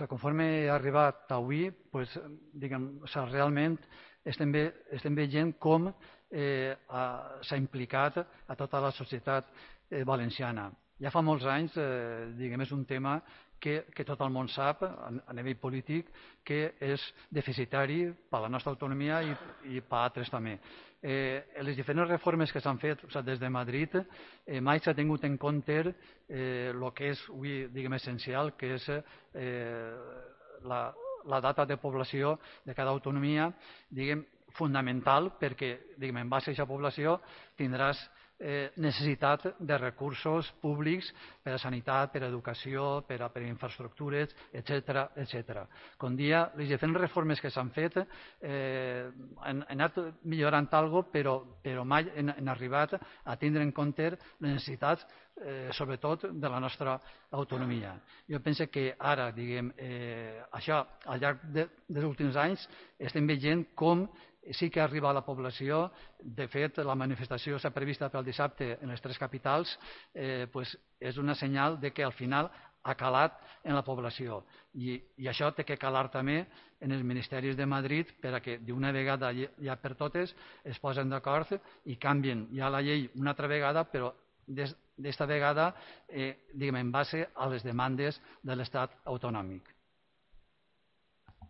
conforme ha arribat avui, realment estem veient com s'ha implicat a tota la societat valenciana. Ja fa molts anys, és un tema que tot el món sap a nivell polític que és deficitari per a la nostra autonomia i per a altres també. Les diferents reformes que s'han fet des de Madrid mai s'ha tingut en compte el que és avui essencial, que és la data de població de cada autonomia, fonamental perquè en base a aquesta població tindràs necessitat de recursos públics per a sanitat, per a educació, per a infraestructures, etc. Com dia, les diferents reformes que s'han fet han anat millorant alguna cosa, però mai han arribat a tindre en compte les necessitats, sobretot de la nostra autonomia. Jo penso que ara, això, al llarg dels últims anys, estem veient com sí que arriba a la població. De fet, la manifestació s'ha prevista pel dissabte en les tres capitals, és una senyal que al final ha calat en la població. I això té que calar també en els ministeris de Madrid perquè d'una vegada ja per totes es posen d'acord i canvien ja la llei una altra vegada, però d'esta vegada en base a les demandes de l'Estat autonòmic.